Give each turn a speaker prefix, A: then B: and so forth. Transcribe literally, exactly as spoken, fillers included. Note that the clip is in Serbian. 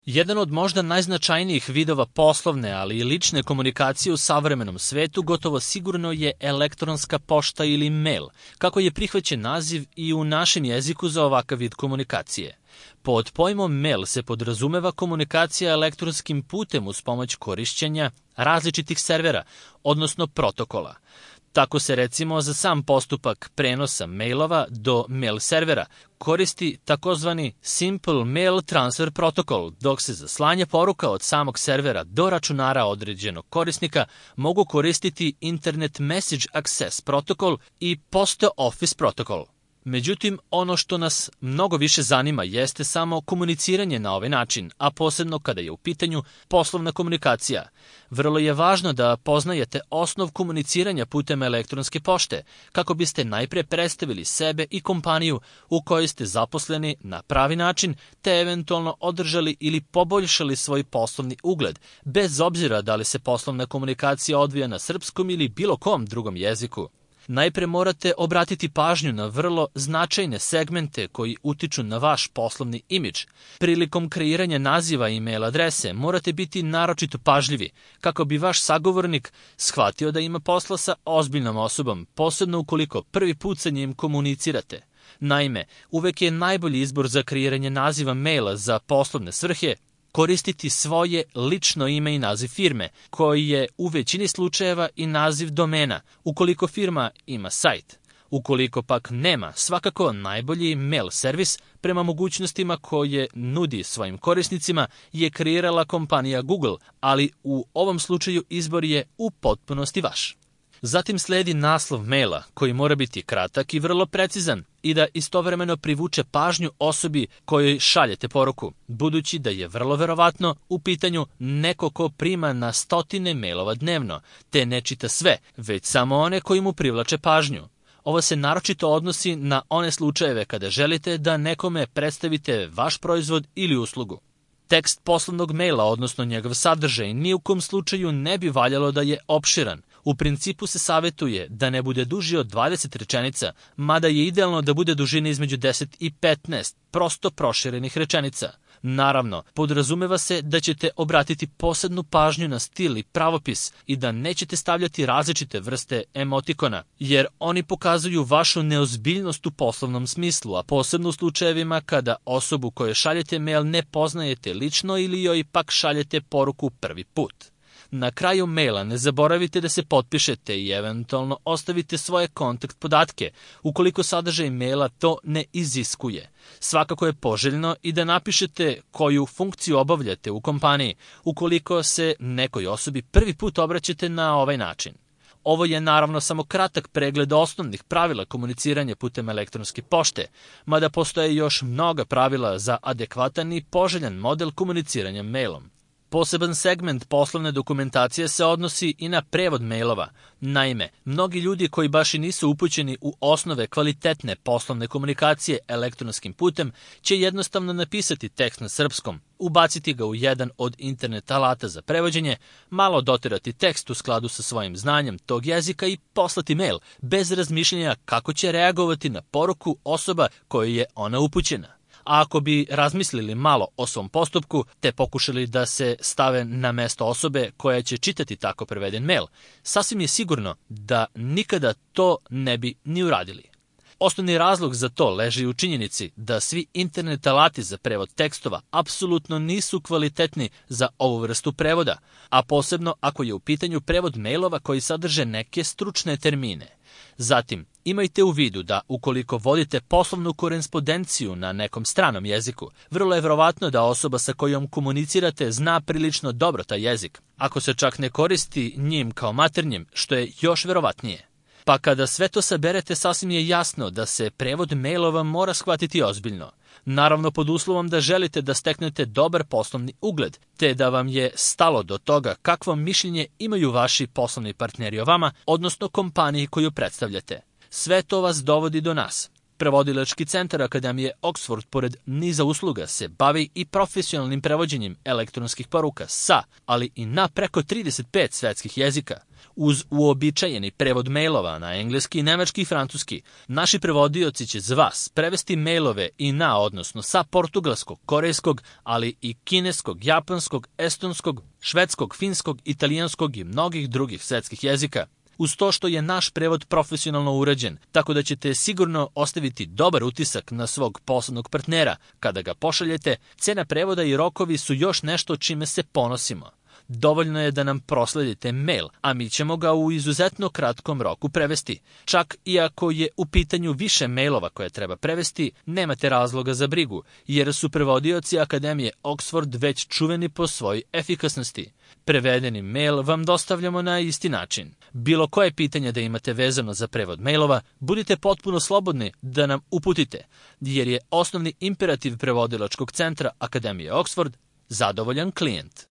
A: Jedan od možda najznačajnijih vidova poslovne, ali i lične komunikacije u savremenom svetu gotovo sigurno je elektronska pošta ili mail, kako je prihvaćen naziv i u našem jeziku za ovakav vid komunikacije. Pod pojmom mail se podrazumeva komunikacija elektronskim putem uz pomoć korišćenja različitih servera, odnosno protokola. Tako se recimo za sam postupak prenosa mailova do mail servera koristi takozvani Simple Mail Transfer Protocol, dok se za slanje poruka od samog servera do računara određenog korisnika mogu koristiti Internet Message Access Protocol i Post Office Protocol. Međutim, ono što nas mnogo više zanima jeste samo komuniciranje na ovaj način, a posebno kada je u pitanju poslovna komunikacija. Vrlo je važno da poznajete osnov komuniciranja putem elektronske pošte, kako biste najpre predstavili sebe i kompaniju u kojoj ste zaposleni na pravi način, te eventualno održali ili poboljšali svoj poslovni ugled, bez obzira da li se poslovna komunikacija odvija na srpskom ili bilo kom drugom jeziku. Najpre morate obratiti pažnju na vrlo značajne segmente koji utiču na vaš poslovni imidž. Prilikom kreiranja naziva i e-mail adrese morate biti naročito pažljivi kako bi vaš sagovornik shvatio da ima posla sa ozbiljnom osobom, posebno ukoliko prvi put sa njim komunicirate. Naime, uvek je najbolji izbor za kreiranje naziva maila za poslovne svrhe koristiti svoje lično ime i naziv firme, koji je u većini slučajeva i naziv domena, ukoliko firma ima sajt. Ukoliko pak nema, svakako najbolji mail servis prema mogućnostima koje nudi svojim korisnicima je kreirala kompanija Google, ali u ovom slučaju izbor je u potpunosti vaš. Zatim sledi naslov maila, koji mora biti kratak i vrlo precizan i da istovremeno privuče pažnju osobi kojoj šaljete poruku, budući da je vrlo verovatno u pitanju neko ko prima na stotine mailova dnevno, te ne čita sve, već samo one koji mu privlače pažnju. Ovo se naročito odnosi na one slučajeve kada želite da nekome predstavite vaš proizvod ili uslugu. Tekst poslovnog maila, odnosno njegov sadržaj, ni u kom slučaju ne bi valjalo da je opširan. U principu se savetuje da ne bude duži od dvadeset rečenica, mada je idealno da bude dužine između deset i petnaest prosto proširenih rečenica. Naravno, podrazumeva se da ćete obratiti posebnu pažnju na stil i pravopis i da nećete stavljati različite vrste emotikona, jer oni pokazuju vašu neozbiljnost u poslovnom smislu, a posebno u slučajevima kada osobu kojoj šaljete mail ne poznajete lično ili joj pak šaljete poruku prvi put. Na kraju maila ne zaboravite da se potpišete i eventualno ostavite svoje kontakt podatke, ukoliko sadržaj maila to ne iziskuje. Svakako je poželjno i da napišete koju funkciju obavljate u kompaniji, ukoliko se nekoj osobi prvi put obraćate na ovaj način. Ovo je naravno samo kratak pregled osnovnih pravila komuniciranja putem elektronske pošte, mada postoje još mnoga pravila za adekvatan i poželjan model komuniciranja mailom. Poseban segment poslovne dokumentacije se odnosi i na prevod mailova. Naime, mnogi ljudi koji baš i nisu upućeni u osnove kvalitetne poslovne komunikacije elektronskim putem će jednostavno napisati tekst na srpskom, ubaciti ga u jedan od internet alata za prevođenje, malo doterati tekst u skladu sa svojim znanjem tog jezika i poslati mail, bez razmišljanja kako će reagovati na poruku osoba kojoj je ona upućena. A ako bi razmislili malo o svom postupku, te pokušali da se stave na mesto osobe koja će čitati tako preveden mail, sasvim je sigurno da nikada to ne bi ni uradili. Osnovni razlog za to leži u činjenici da svi internet alati za prevod tekstova apsolutno nisu kvalitetni za ovu vrstu prevoda, a posebno ako je u pitanju prevod mailova koji sadrže neke stručne termine. Zatim, imajte u vidu da ukoliko vodite poslovnu korespondenciju na nekom stranom jeziku, vrlo je verovatno da osoba sa kojom komunicirate zna prilično dobro taj jezik, ako se čak ne koristi njim kao maternjim, što je još verovatnije. Pa kada sve to saberete, sasvim je jasno da se prevod mailova mora shvatiti ozbiljno. Naravno pod uslovom da želite da steknete dobar poslovni ugled, te da vam je stalo do toga kakvo mišljenje imaju vaši poslovni partneri o vama, odnosno kompaniji koju predstavljate. Sve to vas dovodi do nas. Prevodilački centar Akademije Oxford, pored niza usluga, se bavi i profesionalnim prevođenjem elektronskih poruka sa, ali i na preko trideset pet svetskih jezika. Uz uobičajeni prevod mailova na engleski, nemački i francuski, naši prevodioci će za vas prevesti mailove i na, odnosno sa portugalskog, korejskog, ali i kineskog, japanskog, estonskog, švedskog, finskog, italijanskog i mnogih drugih svetskih jezika. Uz to što je naš prevod profesionalno urađen, tako da ćete sigurno ostaviti dobar utisak na svog poslovnog partnera. Kada ga pošaljete, cena prevoda i rokovi su još nešto čime se ponosimo. Dovoljno je da nam prosledite mail, a mi ćemo ga u izuzetno kratkom roku prevesti. Čak i ako je u pitanju više mailova koje treba prevesti, nemate razloga za brigu, jer su prevodioci Akademije Oxford već čuveni po svojoj efikasnosti. Prevedeni mail vam dostavljamo na isti način. Bilo koje pitanje da imate vezano za prevod mailova, budite potpuno slobodni da nam uputite, jer je osnovni imperativ prevodilačkog centra Akademije Oxford zadovoljan klijent.